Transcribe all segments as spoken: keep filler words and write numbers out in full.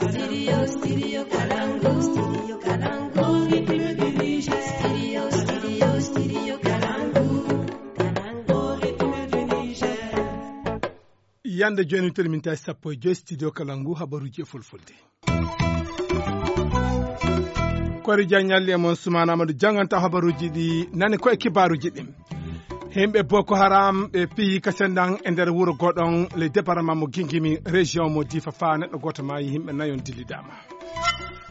Studio, studio Kalangu, studio Kalangu, rythme du Niger. Studio, studio, studio Kalangu, Kalangu, rythme du Niger. Yande jooni, tele mintaji sappo e joy, studio Kalangu, habaruji e fulfulde. Kori Diagne ñalli e mon, Soumana Amadou janganta habaruji ɗi nani ko e kibaruji ɗin. Himɓe Boko Haram ɓe piyi kasendan e nder wuro goɗon, le département mo Gingimi, région mo Difa, fa neɗɗo goto maayi, himɓe nayon dillidama.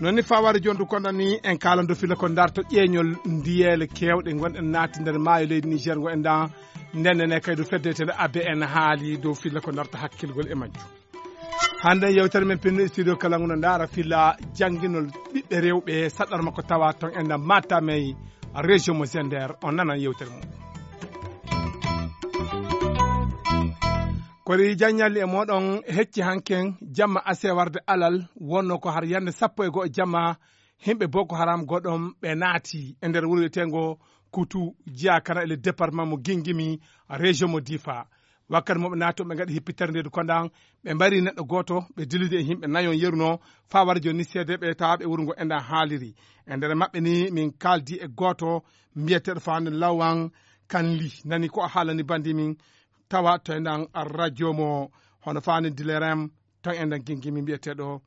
Non ni faware jondu konda ni en kala do fila ko darto ƴeeñol ndiyeele kewɗe gonɗe naati nder maayo leydi Niger ngo en dan. Nden ne kay du fedde tele A B N haali dow fila ko darta hakkilgol e majju. Hande yewtere men pinno studio kala nguno ndara fila janginol ɓiɓɓe rewɓe saɗɗor makko tawa ton en dan Matamey, région mo Zender. On nanan yewtere mum. Kori jaññalli e moɗon hecci hanken jamma ase warde alal, wonno ko har yande sappo e go'o jamma, himɓe Boko Haram goɗɗon ɓe naati e nder wuro wiyetengo Kutu, jiya kana e le département mo Gingimi, région mo Difa. Wakkati mo ɓe naati, ɓe ngaɗi hippitere ndeedu kondan, ɓe mbari neɗɗo gooto, ɓe dillude e himɓe nayon yeruno, faa wara jooni ni seedeeɓe tawaaɓe wuro ngo enɗan haaliri. E nder maɓɓe ni min kaaldi e gooto mbiyeteeɗo Fane Lawan Kanli, nani ko o haalani bandi min tawa to enɗan radio mo hono Fane Dilerem, to enɗan Gingimi mbiyeteeɗo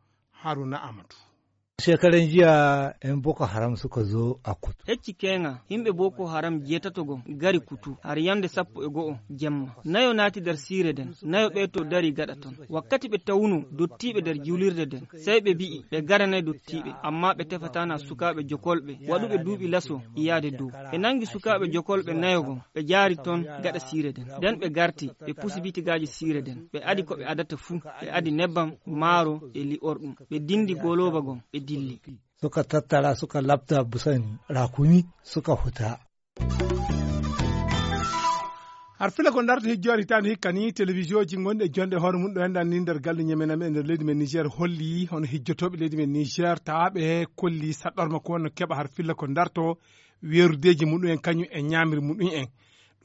Haruna Amadou. Shekaran jiya, 'yan Boko Haram suka zo a Kutu. Hecci keŋa, himɓe Boko Haram jeetato gom gari Kutu, har yande sappo e go'o jemma. Nayo naati nder siire nden, nayo ɓe to dari gaɗa ton. Wakkati ɓe tawuno dottiiɓe nder juulirde nden, sey ɓe bi'i ɓe garanay dottiiɓe, amma ɓe tefataana sukaaɓe jokolɓe waɗuɓe duuɓi laso iyaade dow. Ɓe nangi sukaaɓe jokolɓe nayo gom, ɓe jaari ton gaɗa siire nden. Nden ɓe garti, ɓe pusi bitigaaji siire nden. Ɓe adi ko ɓe adata fuu, ɓe adi nebbam, maaro e li'orɗum. Ɓe dindi golooba gom, ɓe dilli. Suka tattara, suka labta busan rakumi, suka huta. Har fila ko darta hijjoore hitaande hikka ni, télévision ji gonɗi e jonde hoore mum ɗo enɗan ni nder galle ñamena men e nder leydi men Niger holli hono hijjotooɓe leydi men Niger tawaaɓe kolli saɗɗorma ko wonno keɓa har fila ko darto weerudeeji muɗum en kañum e ñaamiri muɗum en.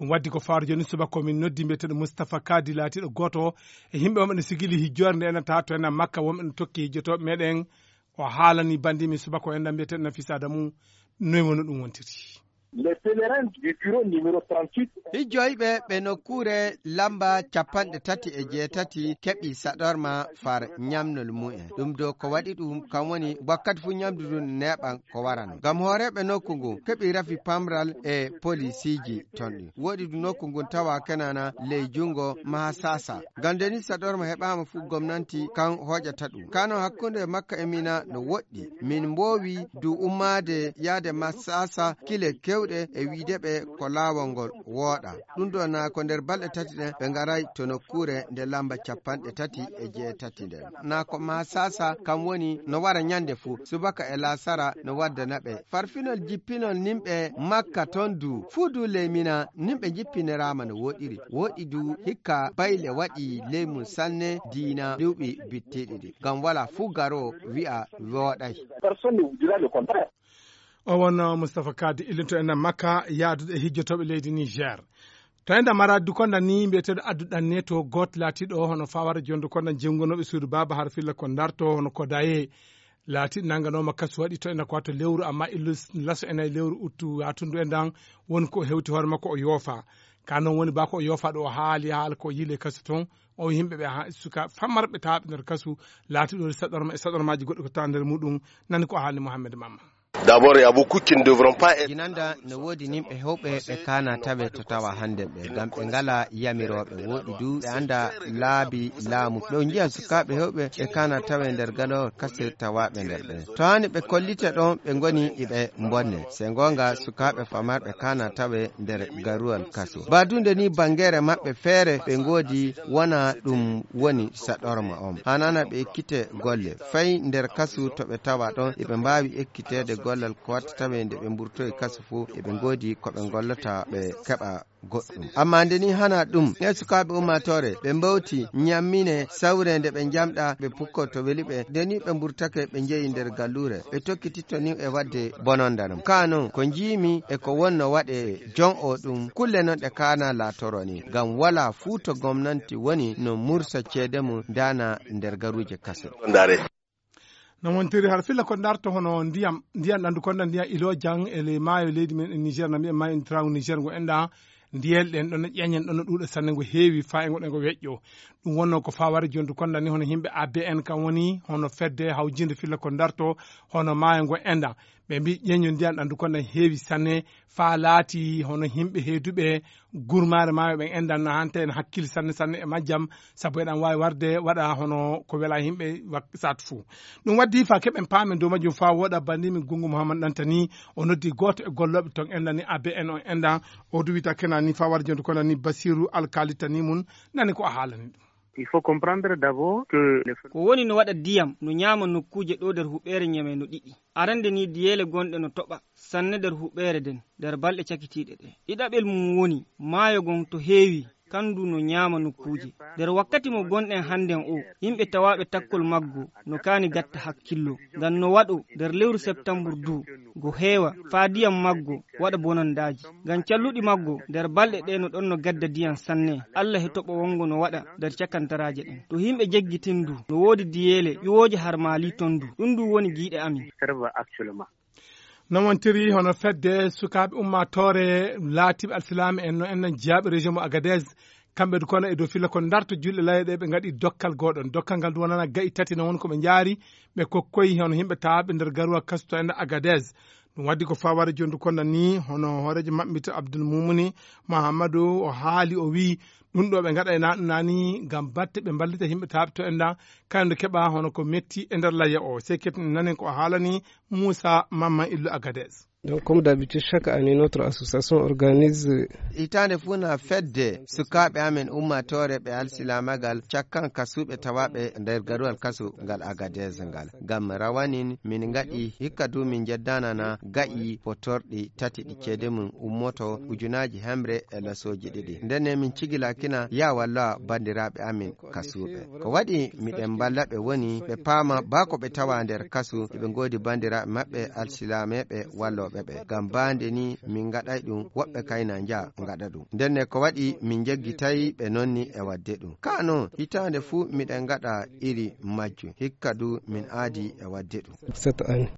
Ɗum waddi ko fawre jooni subaka o min noddi mbiyeteeɗo Moustapha Kadi laatiiɗo gooto e yimɓe wonɓe no sigili hijjoore nde enɗan tawa to enɗan Makka wonɓe no tokki hijjotooɓe meɗen. O haalani bandi min subaka o enɗan mbiyeteeɗo Nafisa Adamu noy woni ɗum wontiri. Les pèlerins du bureau numéro trente-huit. Hijjoyɓe ɓe nokkuure lamba capanɗe tati e jeetati keɓi saɗorma far ñamnol mumen. Ɗum do ko waɗi ɗum kam woni wakkati fuu ñamdu ndun neeɓan ko warano. Ngam hooreeɓe nokku ngun keɓi rafi pamral e polisiiji ton ɗin. Woɗi du nokku ngun tawa kenana ley jungo Mahasasa. Ngam nde ni saɗorma heɓaama fuu gomnanti kan hoƴata ɗum. Kano hakkunde Makka e Mina no woɗɗi. Min mboowi du ummaade yaade Mahasasa kile kewɗe e wiide ɓe ko laawol ngol wooɗa. Ɗum ɗo na ko nder balɗe tati ɗen ɓe ngaray to nokkuure nde lamba capanɗe tati e jeetati nden. Na ko Mahasasa kam woni no wara ñande fuu, subaka e laasara no waddana ɓe. Farfinol jippinol nimɓe Makka ton du, fuu du ley Mina, nimɓe jippiniraama no wooɗiri. Wooɗi du hikka bayle waɗi ley mum sanne diina duuɓi bittiiɗi ɗi. Ngam wala fuu garoowo wi'a wooɗay. Personne ne vous dira le contraire. O wonno Moustapha Kadi illinto en Makka yaadude e hijjotooɓe leydi Niger. To enɗan Maradi du konɗan ni mbiyeteeɗo Addu Ɗanne to gooto laatiiɗo hono fawara jondu konɗan jenngonooɓe suudu baaba har filla ko darto hono ko daye laatiiɗo nannganooma kasu waɗi to enɗan ko wato lewru amma illu laso ena e lewru uttu yaatundu enɗan woni ko hewti hoore makko o yoofa. Ka non woni ba ko o yoofa ɗo o haali haala ko yiile kasu ton o yimɓe ɓe ha suka fammarɓe tawaaɓe nder kasu laatiiɗo saɗorma e saɗormaaji goɗɗi ko tawa nder muɗum nani ko haali Mouhamed Mamma. D'abord, il y a beaucoup qui ne devront pas être. Jinanda no woodi nimɓe hewɓe ɓe kaana tawe to tawa hande ɓe, ngam ɓe ngala yamirooɓe, woɗi du ɓe anda laabi laamu. Ɗo njiya sukaaɓe hewɓe ɓe kaana tawe nder galawol kasir tawaɓe nder ɓe. To hani ɓe kollita ɗon ɓe ngoni iɓe bonne. Se ngonga sukaaɓe famarɓe kaana tawe nder garuwal kaso. Badunde ni bangere maɓɓe feere ɓe ngodi wona ɗum woni saɗorma on. Hanana ɓe ekkite golle. Fay nder kasu to ɓe tawa ɗon, eɓe mbaawi ekkiteede gollal ko watta tawe nde ɓe mburtoyi kasu fuu, eɓe ngoodi ko ɓe ngollata ɓe keɓa goɗɗum. Amma nde ni hana ɗum, e sukaaɓe ummaatoore, ɓe mbawti ñammine sawre nde ɓe njamɗa, ɓe pukko to weli ɓe. Nde ni ɓe mburtake ɓe njeyi nder galluure, ɓe tokkititto ni e waɗde bononda ɗum. Kaa non, ko njiimi e ko wonno waɗe jon o ɗum, kulle non ɗe kaana laatoro ni. Ngam walaa fuu to gomnanti woni no mursa ceede mum daana nder garuuje kaso. No wontiri har filla ko darto hono ndiyam, ndiyam ɗandu konda ndiyam ilo jang e ley maayo leydi men e Niger, na mbiyen maayo en trangu Niger ngo enɗa, ndiyel ɗen ɗon no ƴeñen ɗon no ɗuuɗa sanne, ngo heewi fa e ngo ɗen ngo weƴƴo. Ɗum wonno ko faware jondu konda ni hono himɓe A B N kan woni hono fedde hawjinde filla ko darto hono maayo ngo enɗa. Ɓe mbi ƴeño ndiyam ɗandu konda heewi sanne, fa laati hono himɓe heeduɓe gurmaare maayo ɓen enɗan na hanta en hakkil sanne sanne e majjam, sabu eɗan waawi warde waɗa hono ko wela yimɓe wak-, saatu fuu. Ɗum waddi fa keɓen paamen dow majjum fa woɗa banndi min Gunngu Muhammad Ɗantani, o noddi gooto e gollooɓe ton enɗan ni A B N on enɗan, o du wita kena ni fa warde jonde kono ni Basiru Alkali Tani mun, nani ko a haalani ɗum. Il faut comprendre d'abord que les Ko woni no waɗa diyam no ñaama nokkuuje ɗo nder huɓeere Ñeme no ɗiɗi. Arande ni diyeele gonɗe no toɓa sanne nder huɓeere nden nder balɗe cakitiiɗe ɗe. Ɗiɗaɓel mum woni maayo ngon to heewi, kandu no ñaama nokkuuje. Nder wakkati mo gonɗen hannden o, yimɓe tawaaɓe takkol maggo no kaani gatta hakkillo. Ngam no waɗo nder lewru septambur du, go heewa faa diyam maggo waɗa bonondaaji. Ngam calluɗi maggo nder balɗe ɗe no ɗon no gadda diyam sanne. Allah he toɓo wongo no waɗa nder cakantaraaje ɗen. To yimɓe jeggitindu, no woodi diyeele ƴuwooje har Maali ton du. Ɗum du woni giiɗe amin. Serve actuellement. No wontiri hono fedde sukaaɓe ummaatoore laatiiɓe alsilaame en no en nan jiyaaɓe région mo Agadez, kamɓe du kono e dow filla ko darto julɗe layɗe ɓe ngaɗi dokkal goɗon. Dokkal ngal du wonana ga'i tati no won ko ɓe njaari, ɓe kokkoyi hono yimɓe tawaaɓe nder garuwa kasu to en Agadez. Ɗum waddi ko faware jondu konda ni hono hooreejo maɓɓe mbiyetee Abdul Mumuni Muhammadu o haali o wi'i ɗum ɗo ɓe ngaɗa e na ɗum nani ngam batte ɓe mballita yimɓe tawaaɓe to en ɗan, kañum keɓa hono ko metti e nder layya o. Sey keɓten nanen ko o haalani Muusa Mamman Illu Agadez. Donc, comme d'habitude, chaque année, notre association organise. Hitaande fuu na fedde sukaaɓe amen ummaatoore ɓe alsilaamagal cakkan kasuuɓe tawaaɓe nder garuwal kasu ngal Agadez ngal. Ngam rawanin min ngaɗi hikka du min jeddanana ga'i potorɗi tati ɗi ceede mum ummoto ujunaaji hemre e lasooji ɗiɗi. Ndenne min cigilakina ya walla banndiraaɓe amin kasuuɓe. Ko waɗi miɗen mballa ɓe woni ɓe paama baa ko ɓe tawa nder kasu, ɓe ngoodi banndiraaɓe maɓɓe alsilaameeɓe wallooɓe ɓe. Ngam baande ni min ngaɗay ɗum, woɓɓe kayna nja ngaɗa ɗum. Ndenne ko waɗi min njeggitay ɓe nonni e waɗde ɗum. Kaa non, hitaande fuu miɗen ngaɗa iri majjum. Hikka du min aadi e waɗde ɗum. Cette année.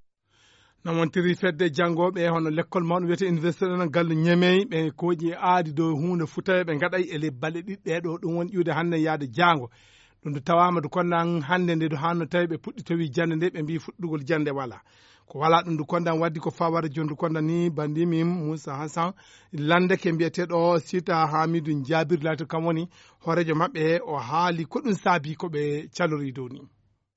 No wontiri fedde janngooɓe hono lekkol mawɗo wiyetee université ɗon gallu Ñemey, ɓe kooƴi e aadi dow huunde futawee ɓe ngaɗay e ley balɗe ɗiɗi ɗee ɗo, ɗum woni ƴiwde hannde yaade jaango. Ɗum du tawaama du kondan hannde nde du hanno tawi ɓe puɗɗi tawi jannde nde, ɓe mbii fuɗɗugol jannde wala. Ko wala ɗum du kondan waddi ko faware jondu kondan ni banndi min Moussa Hassan Lande ke mbiyeteeɗo Sita Hamidou Jabir laati kam woni hooreejo maɓɓe, o haali ko ɗum saabi ko ɓe calori dow ni.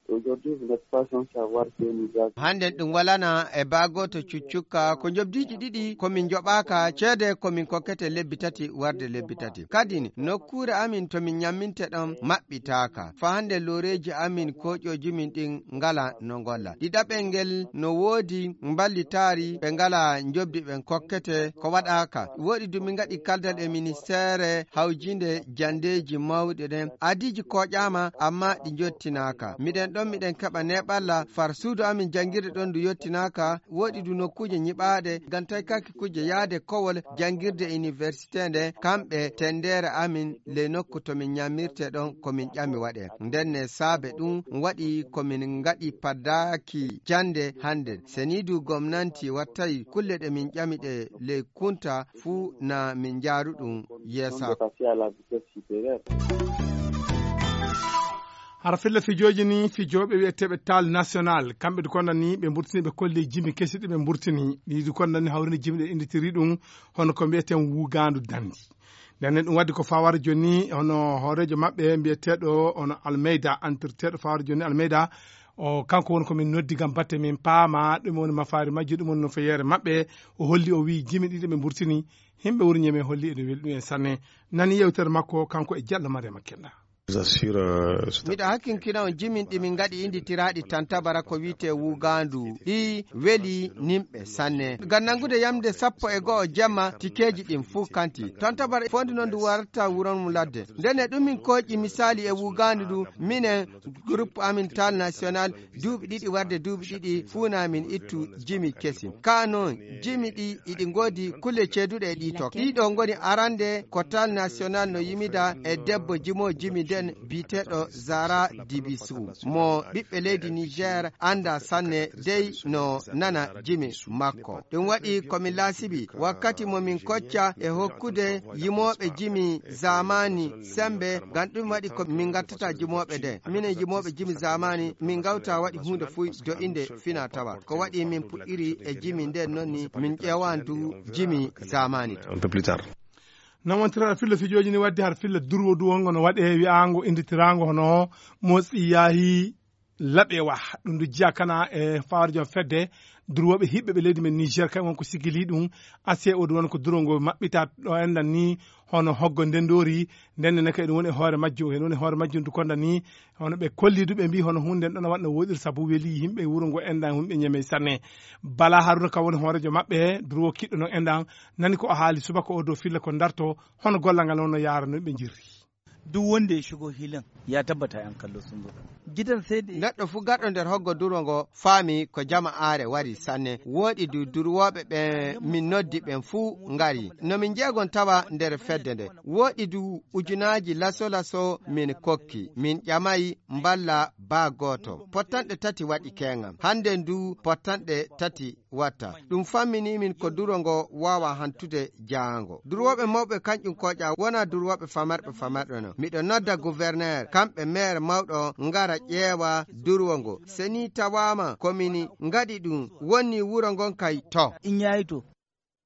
Aujourd'hui, vous n'êtes pas sans savoir que nous avons Hannden ɗum walana e baa gooto cuccukka ko njobdiiji ɗiɗi ko min njoɓaaka ceede ko min kokkete lebbi tati warde lebbi tati. Kadi nokkuure amin to min ñamminte ɗon maɓɓitaaka. Fa hannde looreeji amin kooƴooji min ɗin ngala no ngolla. Ɗiɗaɓel ngel no woodi mballitaari ɓe ngala njobdi ɓen kokkete ko waɗaaka. Woɗi du min ngaɗi kaldal e ministeere hawjinde janndeeji mawɗi ɗen. Adiiji kooƴaama, amma ɗi njottinaaka. Miɗen ɗon, miɗen keɓa neeɓalla far suudu amin janngirde ɗon ndu yottinaaka. Woɗi du nokkuuje nyiɓaaɗe ngam taykaki kujje yaade kowol janngirde université nde. Kamɓe tenndeere amin ley nokku to min ñammirte ɗon ko min ƴami waɗe. Ndenne saabe ɗum waɗi ko min ngaɗi paddaaki jannde hannde. Seniidu gomnanti wattay kulle ɗe min ƴami ɗe ley kunta fuu na min njaaru ɗum yeesaa. Hara filla fijooji ni, fijooɓe wiyeteeɓe Tal National, kamɓe du konda ni ɓe mburtini, ɓe kolli jimi kesi ɗi ɓe mburtini. Ɗi du konda ni hawrini jimi ɗe innditiri ɗum hono ko mbiyeten wugaandu dandi. Nden ɗum waddi ko fawara jooni hono hooreejo maɓɓe mbiyeteeɗo hono Almeyda, entraîneur fawara jooni Almeyda, o kanko woni ko min noddi ngam batte min paama ɗum woni mafaari majji, ɗum woni no feyeere maɓɓe. O holli, o wiyi jimi ɗiɗi ɓe mburtini, yimɓe wuro Ñeme holli ene weli ɗum en sanne. Nani yewtere makko kanko e Jallo Mariama Kenda. Miɗo hakkinkina on jimin ɗi min ngaɗi innditiraaɗi tantabara ko wiyetee wuugaandu. Ɗi weli nimɓe sanne. Ngam nanngude yamde sappo e go'o jemma, tikeeji ɗin fuu kanti. Tantabara fondi noon ndu warta wuron mum ladde. Ndenne ɗum min kooƴi misaali e wuugaandu ndu, minen groupe amin Tal National, duuɓi ɗiɗi warde duuɓi ɗiɗi fuu na min ittu jimi kesi. Kaa noon, jimi ɗi iɗi ngoodi kulle ceeduɗe e ɗi tokka. Ɗiɗo ngoni arande ko Tal National no yimida e debbo jimo jimi Biyeteeɗo Zara Dibisu, mo ɓiɓɓe leydi Niger annda sanne dey no nana jimi makko. Ɗum waɗi ko mi laasibi wakkati mo min kocca e hokkude yimooɓe jimi zamani sembe, ngam ɗum waɗi ko min ngattata jimooɓe de. Minen yimooɓe jimi zamani, min ngawta waɗi huunde fuy do innde fina tawa. Ko waɗi min puɗɗiri e jimi nden noon ni, min ƴeewan du jimi zamani. Nawantira har filla fijooji ni wadde har filla durwo du wongo no waɗe wi'aango innditiraango hono motsi yaahi laɓewa. Ɗum du jiya kana e fawre joom fedde durwooɓe hiɓɓe ɓe leydi men Niger, kay won ko sigili ɗum. Ase o du won ko duro ngo maɓɓita ɗo enɗan ni hono hoggo ndendoori. Nden ne kay ɗum woni e hoore majjum, en woni e hoore majjum du konda ni hono ɓe kolli du ɓe mbi hono huunde nden ɗon waɗno woɗir sabu weli yimɓe wuro ngo enɗan, yimɓe ñeme sanne. Bala Haruna ka woni hoorejo maɓɓe, durwo kiɗɗo no enɗan, nani ko o haali subaka o dow filla ko darto, hono gollal ngal wonno yaara no ɓe jirri. Duk wanda ya shigo hilin ya tabbata yan kallo sun zo. Gidan sai da neɗɗo fuu garɗo nder hoggo durwo ngo faami ko jama'aare wari sanne. Wooɗi du durwooɓe ɓe min noddi ɓen fuu ngari. No min jeegon tawa nder fedde nde. Wooɗi du ujunaaji laso-laso min kokki. Min ƴamay mballa baa gooto. Pottanɗe tati waɗi keeŋam. Hannden du pottanɗe tati watta. Ɗum fammini min ko duro ngo waawa hantude jaango. Durwooɓe mawɓe kañƴum kooƴa wonaa durwooɓe famarɓe famarɓe non. Miɗo nodda gouverneur, kamɓe maire mawɗo ngara ƴeewa durwo ngo. Se ni tawaama ko min ngaɗi ɗum, wonni wuro ngon kay to. In yayi to.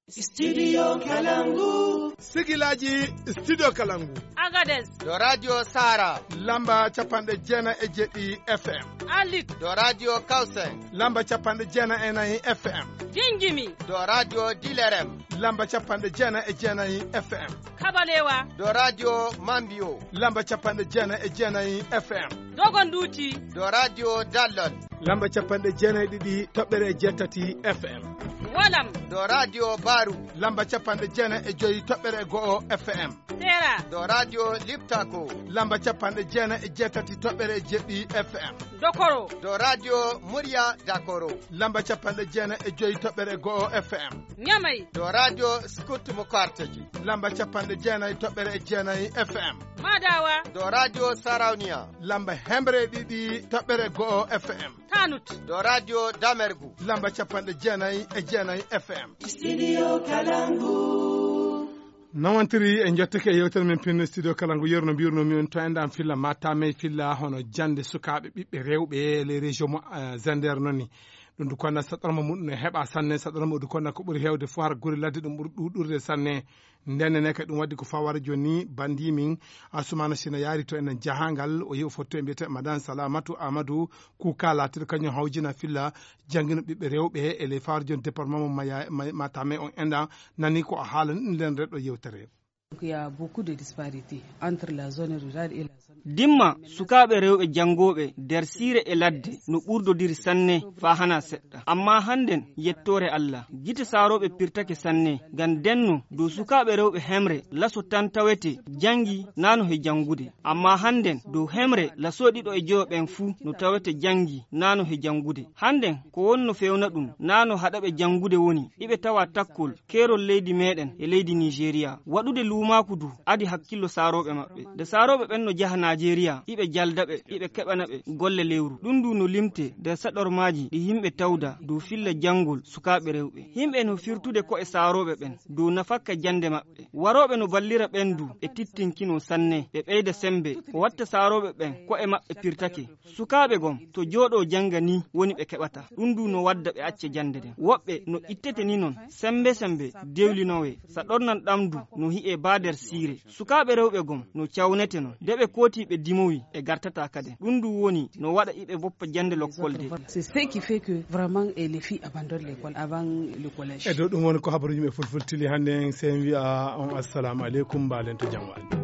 Studio Kalangu. Sigilaji Studio Kalangu. Agadez. Do Radio Sara. Lamba capanɗe jeenayi e jeɗɗi F M. Alit. Do Radio Kausen. Lamba capanɗe jeenayi e nayi F M. Jinjimi. Do Radio Dilerem. Lamba capanɗe jeenayi e jeenayi F M. Kabalewa. Do Radio Mambio. Lamba capanɗe jeenayi e jeenayi F M. Dogonduti. Do Radio Dallon. Lamba capanɗe jeenayi e ɗiɗi toɓɓere e jeetati F M. Walam. Do Radio Baru. Lamba capanɗe jeenayi e joyi toɓɓere e go'o F M. Sera. Do Radio Liptako. Lamba capanɗe jeenayi e jeetati toɓɓere e jeɗɗi F M. Dokoro. Do Radio Murya Dakoro. Lamba capanɗe jeenayi e joyi toɓɓere e go'o F M. Ñamay. Do Radio Scout Mukarteji. Lamba capanɗe jeenayi toɓɓere e jeenayi F M. Madawa. Do Radio Sarauniya. Lamba hemre e ɗiɗi toɓɓere e go'o F M. Tanut. Do Radio Damergu. Lamba capanɗe jeenayi e jeenayi F M. Studio Kalangu. Nawantiri e jottake e yewtere men pinno Studio Kalangu, yerno mbirno mi on to enɗan filla matame filla hono jande sukaaɓe ɓiɓɓe rewɓe les régions mo, eh, Zander noon ni. Ɗum du konna saɗorma muɗum ne heɓa sanne, saɗorma du konna ko ɓuri hewde fof har guri ladde ɗum ɓuri ɗuɗurde sanne. Nden ne kadi ɗum waddi ko fawara joni bandi min Asumana Sina yaari to enen jahangal, o yehi o fotti e mbiyete Madan Salamatu Amadou Kuka laatiɗo kañum hawjina filla janngino ɓiɓɓe rewɓe e ley fawara joni département mo Maya-, Ma-, Matame on enɗan nani ko o haala ni ɗum nden reɗɗo yewtere. Donc, il y a beaucoup de disparités entre la zone rurale et la zone. Dimma sukaaɓe rewɓe janngooɓe nder siire e ladde no ɓurdodiri sanne faa hanaa seɗɗa. Ammaa hannden, yettoore Allah, gite saarooɓe pirtake sanne, ngam ndenno dow sukaaɓe rewɓe hemre laso tan tawete janngi naano he janngude. Ammaa hannden dow hemre laso ɗiɗo e joyo ɓen fuu no tawete janngi naano he janngude. Hannden ko wonno fewna ɗum naano haɗaɓe janngude woni iɓe tawa takkol keerol leydi meɗen e leydi Nigeria. Waɗude luumaaku du adi hakkillo saarooɓe maɓɓe. Nde saarooɓe ɓen no jaha Nigeria, iɓe jalda ɓe, iɓe keɓana ɓe golle lewru. Ɗum du no limte nder saɗormaaji ɗi yimɓe tawda dow filla janngol sukaaɓe rewɓe. Yimɓe no firtude ko'e saarooɓe ɓen dow nafakka jannde maɓɓe. Warooɓe no ballira ɓen du e tittinkino sanne, ɓe ɓeyda sembe, ko watta saarooɓe ɓen ko'e maɓɓe pirtake. Sukaaɓe gom to jooɗoo jannga ni woni ɓe keɓata. Ɗum du no wadda ɓe acca jannde nden. Woɓɓe no ittete ni non sembe sembe dewlinowee. Sa ɗornan ɗam du no hi'ee baa nder siire. Sukaaɓe rewɓe gom no cawnete non. Nde ɓe kooti ɓe dimowi ɓe gartataa kaden. Ɗum du woni no waɗa iɓe boppa jannde lokkol de. C'est ce qui fait que vraiment, eh, les filles abandonnent l'école avant le collège. E dow ɗum woni ko habaruuji men fulfultili hannde en. Sen wi'a on assalamu aleykum, mbaalen to jam waali.